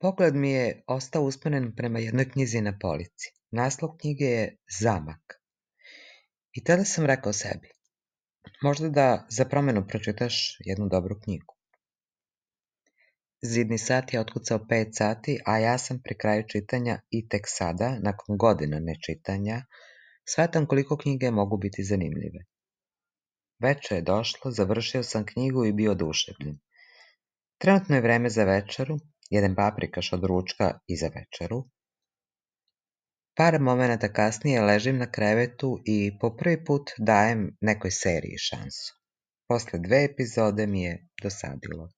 Pogled mi je ostao usmeren prema jednoj knjizi na polici. Naslov knjige je Zamak. I tada sam rekao sebi, možda da za promenu pročitaš jednu dobru knjigu. Zidni sat je otkucao 5 sati, a ja sam pri kraju čitanja i tek sada, nakon godina nečitanja, shvatam koliko knjige mogu biti zanimljive. Veče je došlo, završio sam knjigu i bio oduševljen. Trenutno je vreme za večeru, jedem paprikaš od ručka i za večeru. Par momenata kasnije ležim na krevetu i po prvi put dajem nekoj seriji šansu. Posle 2 epizode mi je dosadilo.